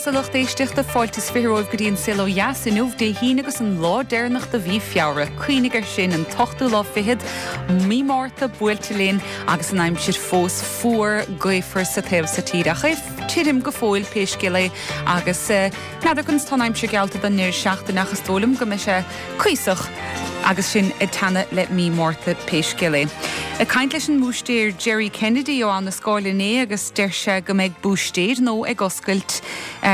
Agus a lucht éisteachta, fáilte is 20 romhaibh go dtí an Saol Ó Dheas inniu, Dé hAoine agus an lá deireanach de mhí Feabhra. Cuimhnigh air sin, an t-ochtú lá fichead, mí Márta buailte linn agus an aimsir fós fuar, gaofar sa taobh so tíre. Ach é tirim go fóill pé scéal é agus n'fheadar conas tá an aimsir geallta don ndeireadh seachtaine ach is dóigh liom go mbeidh sé cuíosach agus sinn ag teannadh le mí Márta pé scéal é. Ag caint leis an mbúistéir Jerry Kennedy ó Abha na Scáil inné agus deir sé go mbeidh búistéir nua ag oscailt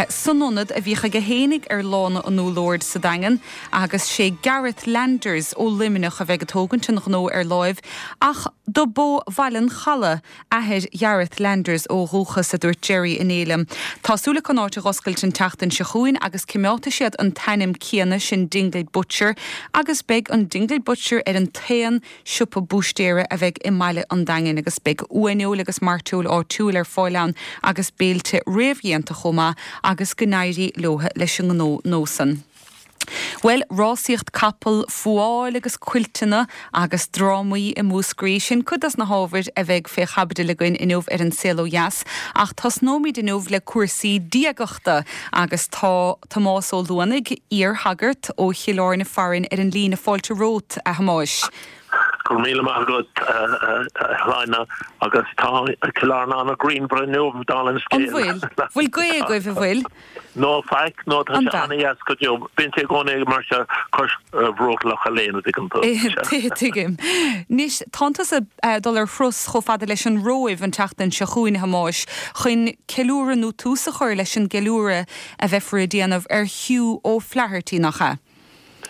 san ionad a bhíodh aige fhéinig ar Lána an Úll Oird sa Daingean agus sé Gareth Landers ó Luimneach a bheidh ag tógaint an ghnó ar láimh ach do b'ó Bhaile an Chalaidh athair Ghareth Landers ó dhúchas, a dúirt Jerry inné liom. Tá súil acu an áit a dh'oscailt an tseachtain seo chugainn agus cimeádfaidh siad an t-ainm céanna, sin Dingle Butcher, agus beidh an Dingle Butcher ar an t-aon siopa búistéara a bheidh i mbaile an Daingin agus beidh uaineoil agus mairteoil áitiúil ar fáil ann agus béilte réamhdhéanta chomh maith agus go n-éirí leo leis an ngnó nua san. Bhuel, rásaíocht capall, fuáil agus cuilteanna agus drámaí i Múscraí, sin cuid dos na hábhair a bheidh fé chaibidil againn inniu ar An Saol Ó Dheas. Ach tosnóimid inniu le cúrsaí diagachta agus tá Tomás Ó Luanaigh, iar-shagart ó Chill Airne farainn ar an líne. Fáilte romhat, a Thomáis. Go raibh míle maith agat, a Shláine, agus tá Cill Airne an-ghrianmhar inniu, dála an scéil. An bhfuil? Bhfuil gaoth agaibh, an bhfuil? No, faic, no, tá sé an-dheas go deo. Bíonn sé i gcónaí mar seo cois bhruach Loch Léin, an dtuigeann tú. Tuigim. Anois, tánn tusa ag dul ar thuras chomh fada leis an Róimh an tseachtain seo chugainn, a Thomáis, chun ceiliúradh nó tús a chur leis an gceiliúradh a bheifear ag déanamh ar Hugh O'Flaherty, nach ea?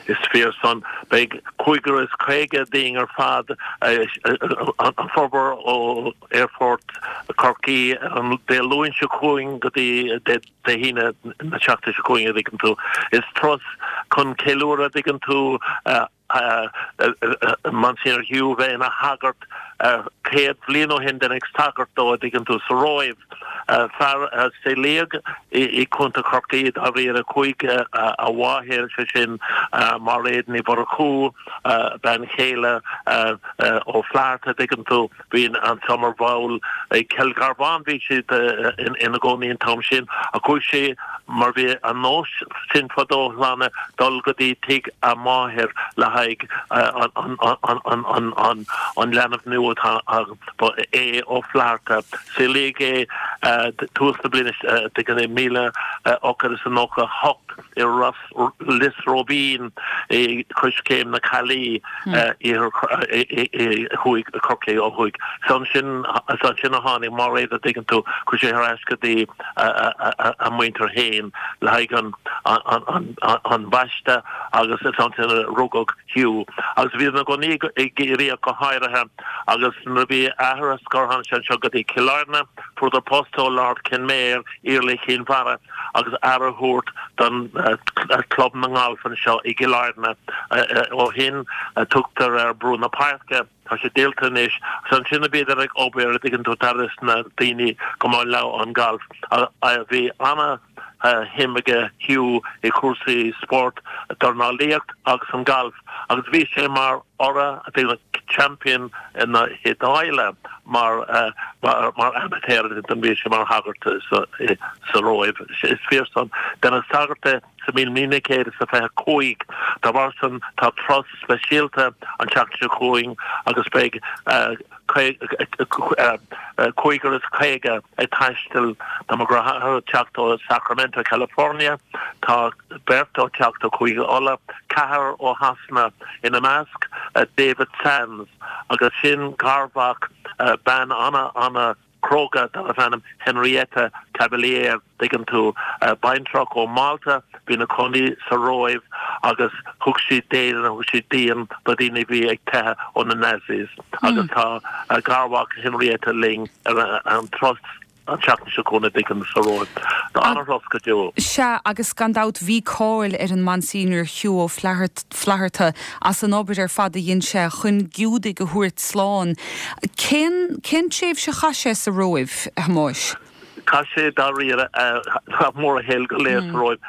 Is fíor san. Beidh 55 dínn ar fad, an formhór ó Aerfort Chorcaí ar an Dé Luain seo chugainn go dtí Dé hAoine na seachtaine seo chugainn, a dtuigeann tú. Is turas chun ceiliúradh, a dtuigeann tú, Monsignor Hugh a bheith ina shagart 100 bliain ó shin, deineadh sagart dó, a dtuigeann tú, sa Róimh. Fear a saolaíodh i gContae Chorcaí, dáiríre, chuaigh a mháthair, sé sin Máiréad Ní Mhurchú, bean chéile Ó Flatharta, a dtuigeann tú, bhí anseo mar bhall i Cill Gharbháin, bhí siad ina gcónaí an t-am sin, ach chuaigh sé, mar bhí an nós sin fadó, a Shláine, dul go dtí tigh a máthair le haghaidh an leanbh nua atá Ba é Ó Flatharta. Saolaíodh é tús na bliana 1898 i Lios Róibín i Coiscéim na Caillí, iarthar thuaidh Chorcaí ó thuaidh. Is ansin a tháinig Máiréad, a dtuigeann tú, chuaigh sé thar ais go dtí a muintir féin le haghaidh an bhaiste agus is ansin a rugadh Hugh. Agus bhí ina gcónaí i gCiarraí ach go háirithe agus nuair a bhí a athair ar scor tháinig sé anseo go dtí Cill Airne, fuaireadar post ó Lord Kenmare, Iarla Chinn Mhara, agus aire a thabhairt don Club na nGalf anseo i gCill Airne. Ó shin tugtar ar Brú na Páirce. Tá sé díolta anois. Is ansin a bhíodar ag obair, a dtuigeann tú, d'aire na daoine go mba leo an galf. Bhí ana shuim aige Hugh i chúrsaí spóirt, dornálaíocht agus an galf agus bhí sé mar urra, champion na hIodáile mar mar amateur bhí sé mar shagart sa Róimh. Is fíor san. Deineadh sagart de sa mbliain 1925. Dá bharr san tá turas speisialta an tseachtain seo chugainn agus beidh 55 ag taisteal. Tá mo dheartháir ag teacht ó Sacramento, California, tá beirt ag teacht ó Chúige Uladh, ceathrar ó Shasana, ina measc David Sands agus sin garmhac bean ana ana cróga darbh ainm Henrietta Cavaliere, dtuigeann tú, baintreach ó Mhálta, bhí ina cónaí sa Róimh agus thug sí d'éigean, thug sí díon do dhaoine a bhí ag teitheadh ó na Nazis agus tá garmhac Henrietta linn ar an turas an tseachtain seo chugainn, a dtuigeann, sa Róimh. Tá an-thuras go deo. Sea, agus gan dabht bhí cáil ar an Monsignor Hugh Ó Flatharta as an obair ar fad a dhein sé chun Giúdaigh a thabhairt slán. Cén, cén tréimhse a chaith sé sa Róimh, a Thomáis? Chaith sé dáiríre mórán a shaoil go léir sa Róimh.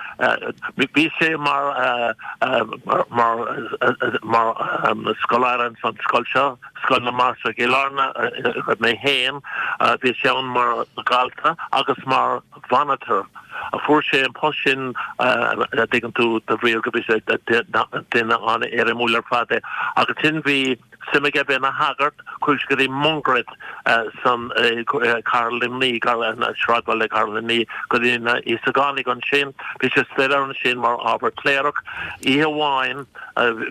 Bhí sé mar mar mar scoláire ins an scoil seo, Scoil na Mainistreach i gCill Airne, a raibh mé féin. Bhí sé ann mar dhalta agus mar mhonitor. Fuair sé an post sin, a dtuigeann tú, de bhrí go bhí sé duine an-éirimiúil ar fad é. Agus ansin bhí suim aige bheith ina shagart, chuaigh sé go dtí Mungairit san cathair Luimní, sráidbhaile cathair Luimní, go dtí na Íosagánaigh ansin. Bhí sé ag staidéar ansin mar ábhar cléireach. Oíche amháin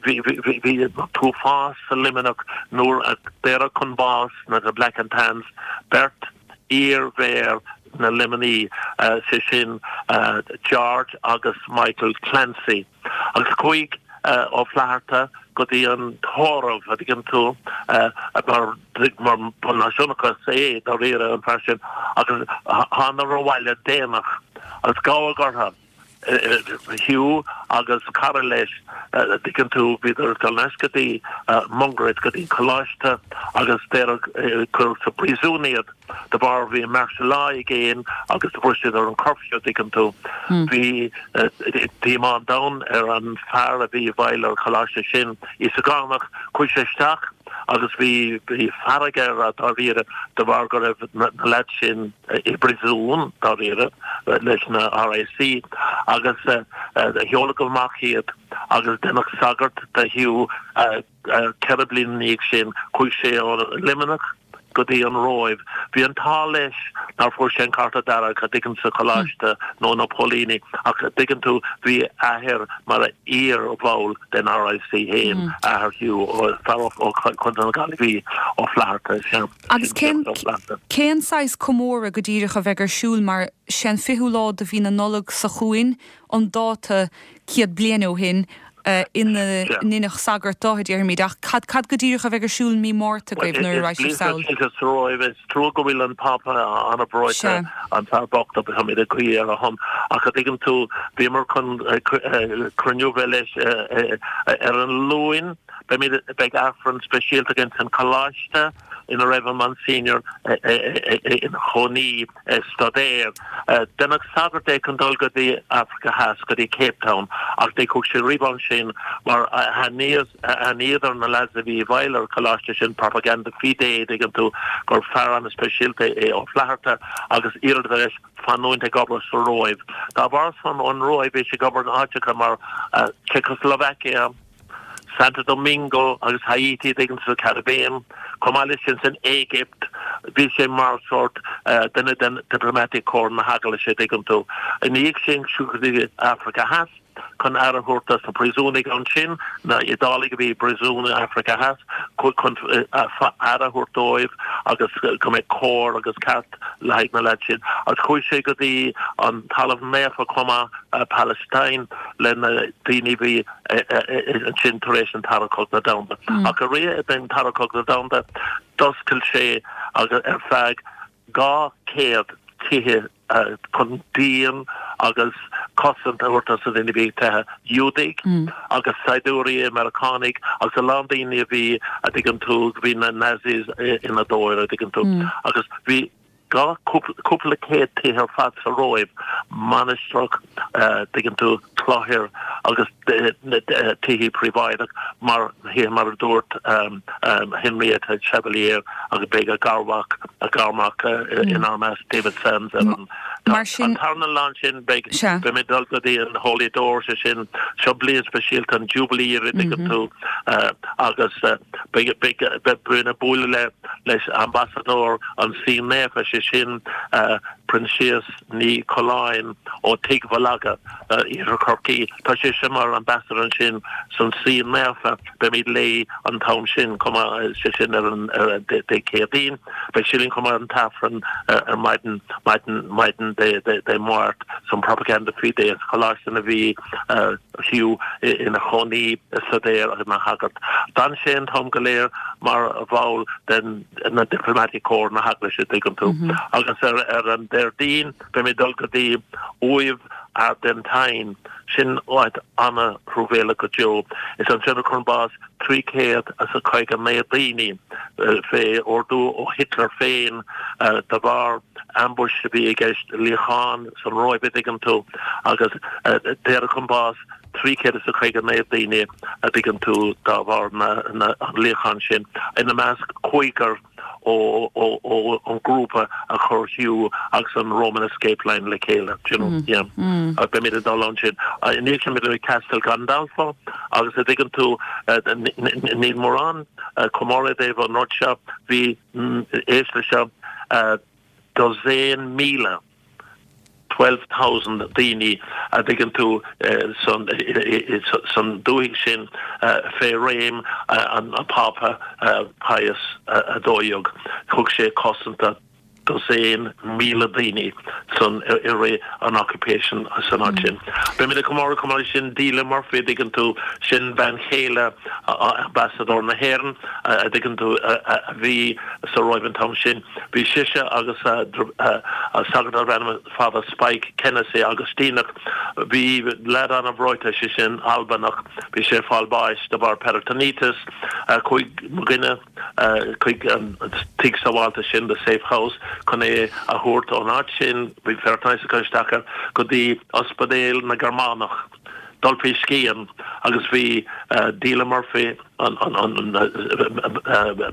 bhí an t-uafás sa Luimneach nuair a daoradh chun bás na Black and Tans beirt iar-mhéara na Luimní, sé sin George agus Michael Clancy. Agus chuaigh Ó Flatharta go dtí an tórramh, a dtuigeann tú, mar ba náisiúnachas é dáiríre an fear sin, agus thánadar abhaile déanach agus gabhadh orthu. Hugh agus cara leis, a dtuigeann tú, bhíodar ag dul ar ais go dtí Mungairit, go dtí an coláiste agus daoradh, cuireadh sa bpríosún iad de bharr bhí an martial law i gcéin agus fuair siad ar an curfew, a dtuigeann tú. Bhí díomá an domhain ar an fear a bhí i bhfeighil ar an choláiste sin, Íosagánach, chuaigh sé isteach agus bhí fearg air dáiríre de bharr go raibh na leaids sin, i bpríosún, dáiríre, leis na RIC agus sheoladh amach iad agus deineadh sagart de Hugh 4 bliana ina dhiaidh sin. Chuaigh sé ó Luimneach go dtí an Róimh. Bhí an t-ádh leis nár fuair sé an cárta dearg, a dtuigeann sa choláiste nó na póilíní ach a dtuigeann tú bhí a athair mar iar-bhall den RIC féin, athair Hugh, fear ó Chontae na Gaillimhe, Ó Flatharta, sea. Agus cén, cén saghas comóradh go díreach a bheidh ar siúl mar sé an fichiú lá de mhí na Nollag seo chugainn an dáta 100 bliain ó shin ina ndeineadh sagart de, a déarfaimid, ach cad, cad go díreach a bheidh ar siúl mí Márta agaibh nuair a raghaidh sibh sall? Is sa Róimh, is trua go bhfuil an Pápa an-bhreoite, an fear bocht, agus táimid ag guí ar a shon, ach a dtuigeann tú, bhíomar chun cruinniú bheith leis ar an Luain, Beimid, beidh Aifreann speisialta againn san Choláiste ina raibh an Monsignor ina chónaí ag staidéar. Deineadh sagart de chun dul go dtí Africa Theas, go dtí Cape Town, ach ní chuaigh sé riamh ansin mar aithníodar na lads a bhí i bhfeighil ar an choláiste sin, Propaganda Fide, dtuigeann tú, gur fear an-speisialta é Ó Flatharta agus iarradar air fanúint ag obair sa Róimh. Dá bharr san ón Róimh bhí sé ag obair in áiteacha mar Czechoslovakia, Santo Domingo agus Haiti, dtuigeann tú, sa Caribbean. Chomh maith leis sin san Éigipt, bhí sé mar sórt duine den Diplomatic Corps na hEaglaise, dtuigeann tú. Ina dhiaidh sin, chuaigh go dtí Africa Theas chun aire a thabhairt dos na príosúnaigh ansin, na hIodálaigh a bhí i bpríosún in Africa Theas, chun aire a thabhairt dóibh agus go mbeadh cóir agus ceart le haghaidh na leaids sin. Agus chuaigh sé go dtí an Talamh Naofa chomh maith, Palestine, le na daoine a bhí ansin tar éis an Dara Cogadh Domhanda. Ach i rith an Dara Cogadh Domhanda, d'oscail sé agus ar feadh 200 tithe chun díon agus cosaint a thabhairt dos na daoine a bhí ag teitheadh, Iúdaigh agus saighdiúirí Meiriceánaigh agus a lán daoine a bhí, a dtuigeann tú, bhí na Nazis ina dtóir, a dtuigeann tú. Agus bhí. Cúpla céad tithe ar fad sa Róimh, mainistreach, dtuigeann tú, cloichear agus tithe príobháideach mar thithe mar a dúirt Henrietta Chevalier agus beidh a garmhac, a garmac inár measc, David Sands ar an Mar sin. An tarna lá ansin beidh, beimid ag dul go dtí an Holy Door, sé sin, seo bliain speisialta, an Jubilee a dtuigeann tú agus beidh, beidh, beimid ag bualadh le leis Ambasadóir an Suí Naofa, sé sin Proinsias Ní Choileáin ó Tigh Mholaga, Iarthar Chorcaí. Tá sise mar Ambassador ansin san Suí Naofa. Beimid léi an t-am sin chomh maith, sé sin ar an Dé Céadaoin. Beidh sí linn chomh maith ar an t-Aifreann ar maidin, maidin, maidin Dé Máirt san Propaganda Fide, sa choláiste ina bhí Hugh ina chónaí ag staidéar agus ina shagart. D'fhan sé an t-am go léir mar bhall den na Diplomatic Corps na hEaglaise, tuigeann tú. Agus ar ar an Déardaoin beimid ag dul go dtí Uaimh Ardentin, sin áit ana-thruamhéalach go deo. Is ansin a cuireadh chun báis 359 daoine fé ordú ó Hitler féin de bharr ambush a bhí i gceist, luíochán san Róimh a dtuigeann tú, agus daoradh chun báis 359 daoine a dtuigeann tú dá bharr an luíocháin sin, ina measc cúigear. Ó an grúpa a chuir Hugh agus an Roman Escape Line le chéile, do you know, yeah. Beimid ag dul ansin. I ndiaidh sin beimid ag Castel Gandolfo agus a dtuigeann tú, níl mórán comóradh i dtaobh an rud seo, bhí, éist leis seo, dosaen 1,000. 12,000 daoine a dtuigeann tú san dúthaigh sin fé réim an Phápa Pius 12. Thug sé cosaint do dosaen 1,000 daoine san i rith an occupation san áit sin. Beimid ag comóradh chomh maith leis sin Delia Murphy a dtuigeann tú, sin bean chéile Ambasadóir na hÉireann a dtuigeann tú a bhí sa Róimh an t-am sin. Bhí sise agus sagart darbh ainm Father Spike Kennessy, Agaistíneach. Bhí leaid an-bhreoite, sé sin Albanach, bhí sé ag fáil báis de bharr peritonitis. Chuaigh mo dhuine chuig an tigh sábháilte sin, the safe house, chun é a thabhairt ón áit sin, bhí peritonitis ag cur isteach air, go dtí ospidéal na Gearmánach. Dul faoi scian agus bhí Delia Murphy, an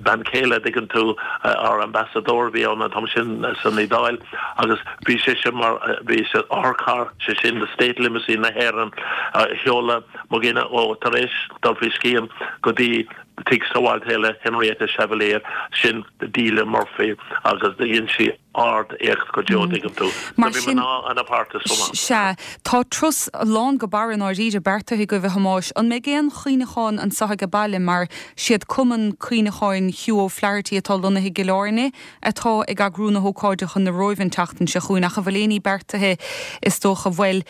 bean chéile, a dtuigeann tú, ár ambasadóir a bhí ann an t-am sin san Iodáil agus bhí sise mar, bhí sa otharcharr, sé sin the state limousine na hÉireann, a sheoladh mo dhuine ó tar éis dul faoi scian go dtí tigh sábháilte eile Henrietta Chevalier, sin Delia Murphy agus dhein sí. ard-éacht go deo, dtuigeann tú. Mar sin, bhí mná ana-pháirteach chomh maith. Sea. Tá turas lán go barra i ndáiríre beartaithe agaibh, a Thomáis. An mbeidh aon chuimhneachán anseo age baile mar siad Cumann Cuimhneacháin Hugh O'Flaherty atá lonnaithe i gCill Airne atá ag eagrú na hócáide chun na Róimhe an tseachtain seo chugainn ach an bhfuil aon ní beartaithe is dócha, bhuel,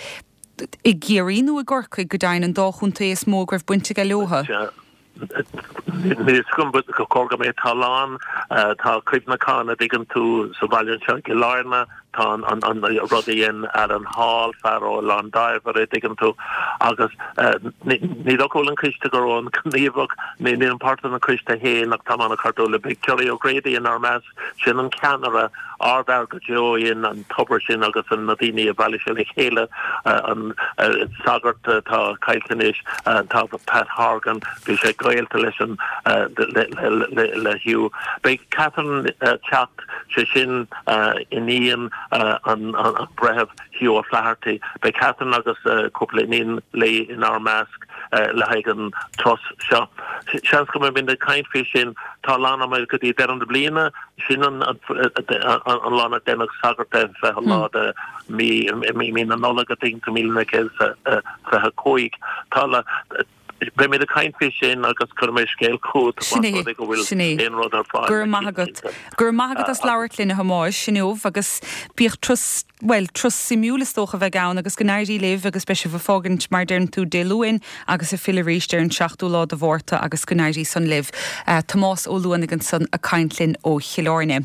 i gCiarraí nó i gCorcaigh go deimhin, an dá chontae is mó go raibh baint aige leo? Sea. Níl fhios agam but chóir go mbeidh tá a lán tá cuimhneachán a dtuigeann tú sa bhaile anseo i gCill Airne tá an an rud a dhein Alan Hall fear ó Oileán Dairbhre a dtuigeann tú agus ní dócha go bhfuil an coiste go raibh an gníomhach nílim páirteach den choiste féin ach táim an-chairdiúil le Beidh Gerry O'Grady inár measc Sin an ceannaire, ardfhear go deo a dhein an tobar sin agus na daoine a bhailigh sé le chéile, an sagart atá caillte anois, tá Pat Horgan, bhí sé gaolta leis an, le Hugh. Beidh Catherine ag teacht, sé sin iníon an Bhreithimh Hugh O'Flaherty. Beidh Catherine agus cúpla iníon léi inár measc le haghaidh an turas seo. Seans go mbeimid ag caint faoi sin. Tá a lán ama go dtí deireadh na bliana. Sin an lá a deineadh sagart de, 20 lá de mí na Nollag, I think, 1925. Tá Beimid ag caint faoi sin agus cuirfidh mé scéal chugat más rud é go bhfuil aon rud ar fáil. Go raibh maith agat. Go raibh maith agat as labhairt linn a Thomáis inniu agus bíodh turas, bhuel, turas suimiúil is dócha a bheidh ann agus go n-éirí libh agus beidh sibh ag fágaint mar a deireann tú Dé Luain agus ag filleadh arís ar an seachtú lá de Mhárta agus go n-éirí san libh. Tomás Ó Luanaigh ansan ag caint linn ó Chill Airne.